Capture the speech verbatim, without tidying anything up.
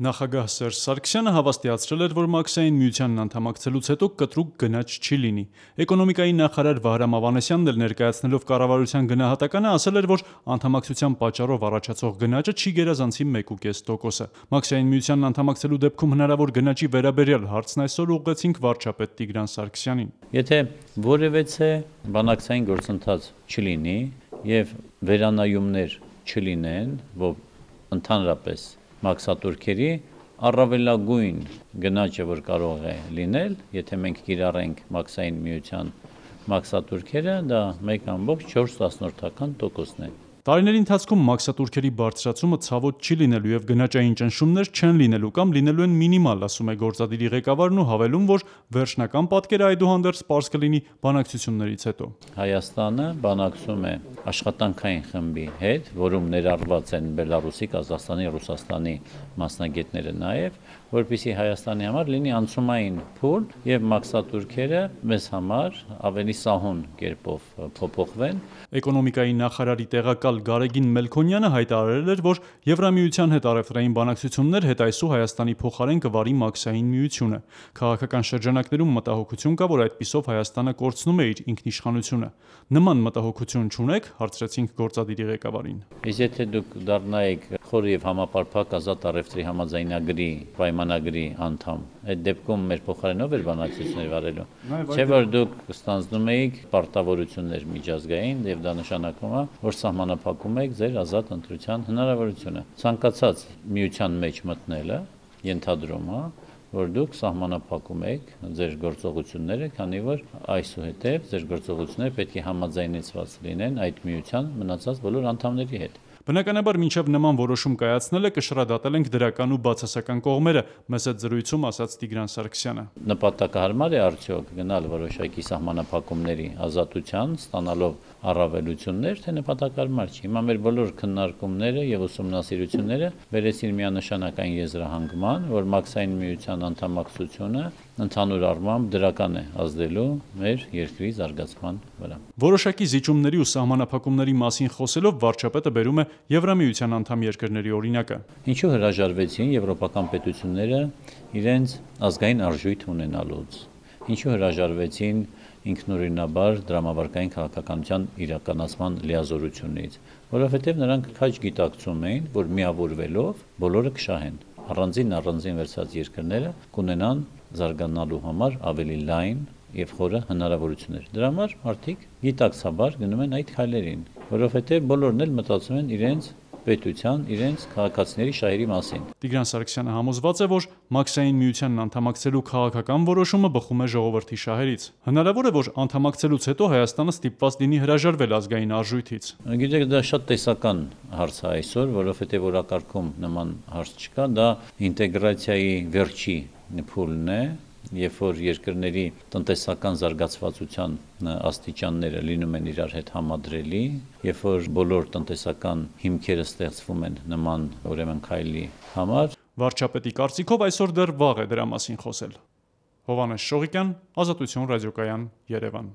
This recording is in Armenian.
Նախագահ Սերժ Սարգսյանը հավաստիացրել էր, որ Մաքսային միությանն անդամակցելուց հետո կտրուկ գնաճ չի լինի։ Էկոնոմիկայի նախարար Վահրամ Ավանեսյանն էլ ներկայացնելով կառավարության գնահատականը ասել էր, որ անդամակցության պատճառով առաջացող գնաճը չի գերազանցի մեկ կես տոկոսը։ Մաքսային միությանն անդամակցելու դեպքում հնարավոր գնաճի վերաբերյալ հարցն այսօր ուղղեցինք վարչապետ Տիգրան Սարգսյանին։ Եթե որևէ բանակցային գործընթաց չլինի եւ վերանայումներ չլինեն, որ ընդհանրապես մաքսատուրքերի առավելագույն գնաճը, որ կարող է լինել, եթե մենք կիրառենք Մաքսային միության մաքսատուրքերը, դա մեկ ամբողջ չորս տոկոսն է։ Տարիների ընթացքում մաքսատուրքերի բարձրացումը ցավոտ չի լինելու եւ գնաճային ճնշումներ չեն լինելու կամ լինելու են մինիմալ, ասում է գործադիրի ղեկավարն ու հավելում, որ վերջնական պատկերը այդուհանդերձ պարզ կլինի բանակցություններից հետո։ Հայաստանը բանակցում է աշխատանքային խմբի հետ, որում ներառված են Բելարուսի, Կազախստանի, Ռուսաստանի մասնագետները նաեւ, որպեսզի Հայաստանի համար լինի անցումային փուլ եւ մաքսատուրքերը մեզ համար ավելի սահուն կերպով փոփոխվեն։ Էկոնոմիկայի նախարարի տեղակալ Գարեգին Մելքոնյանը հայտարարել էր, որ Եվրամիության հետ առևտրային բանակցություններ հետայսու Հայաստանի փոխարեն կվարի Մաքսային միությունը։ Քաղաքական շրջանակներում մտահոգություն կա, որ այդպիսով Հայաստանը կորցնում է իր ինքնիշխանությունը։ Նման մտահոգություն չունեք, հարցրեցինք գործադիրի ղեկավարին։ Իսկ եթե դուք դառնայիք խորը եւ համապարփակ ազատ առևտրի համաձայնագրի պայմանագրի անդամ, այդ դեպքում մեր փոխարենով էր բանակցություններ վարելու։ Չէ՞ որ դուք ստանձնում էիք պարտավորություններ միջազգային եւ դա նշանակում է, որ սահմանափակում եք ձեր ազատ ընտրության հնարավորությունը։ Ցանկացած միության մեջ մտնելը ենթադրում է, որ դուք սահմանափակում եք ձեր գործողությունները, քանի որ այսուհետև ձեր գործողությունները պետք է համաձայնեցված լինեն այդ միության մնացած բոլոր անդամների հետ։ Բնականաբար մինչև նման որոշում կայացնելը կշռադատել ենք դրական ու բացասական կողմերը, մեծ այդ զրույցում ասաց Տիգրան Սարգսյանը։ Նպատակահարմար է արդյոք գնալ որոշակի սահմանափակումների ազատության, ստանալով առավելություններ, թե նպատակահարմար չի։ Հիմա մեր բոլոր քննարկումները եւ ուսումնասիրությունները վերեցին միանշանական եզրահանգման, որ Մաքսային միության անդամակցությունը ընդհանուր առմամբ դրական է ազդելու մեր երկրի զարգացման վրա։ Որոշակի զիջումների ու սահմանափակումների մասին խոսելով վարչապետը բերում է Եվրամիության անդամ երկրների օրինակը։ Ինչու հրաժարվեցին եվրոպական պետությունները իրենց ազգային արժույթ ունենալուց։ Ինչու հրաժարվեցին ինքնուրույնաբար դրամավարկային քաղաքականության իրականացման լիազորությունից, որովհետև նրանք քաջ գիտակցում էին, որ միավորվելով բոլորը կշահեն։ Առանձին առանձին վերցած երկրները կունենան զարգանալու համար ավելի լայն եւ խորը հնարավորություններ։ Դրա համար մարդիկ գիտակցաբար գնում են այդ քայլերին, որովհետև բոլորն էլ մտածում են իրենց պետության, իրենց քաղաքացիների շահերի մասին։ Տիգրան Սարգսյանը համոզված է, որ Մաքսային միությանն անդամակցելու քաղաքական որոշումը բխում է ժողովրդի շահերից։ Հնարավոր է, որ անդամակցելուց հետո Հայաստանը ստիպված լինի հրաժարվել ազգային արժույթից։ Գիտեք, դա շատ տեսական հարց է այսօր, որովհետև օրակարգում նման հարց չկա, դա ինտեգրացիայի վերջի փուլն է, երբ որ երկրների տնտեսական զարգացվածության աստիճանները լինում են իրար հետ համադրելի, երբ որ բոլոր տնտեսական հիմքերը ստեղծվում են նման ուրեմն քայլի համար։ Վարչապետի կարծիքով այսօր դեռ վաղ է դրա մասին խոսել։ Հովհաննես Շողիկյան, Ազատություն ռադիոկայան, Երևան։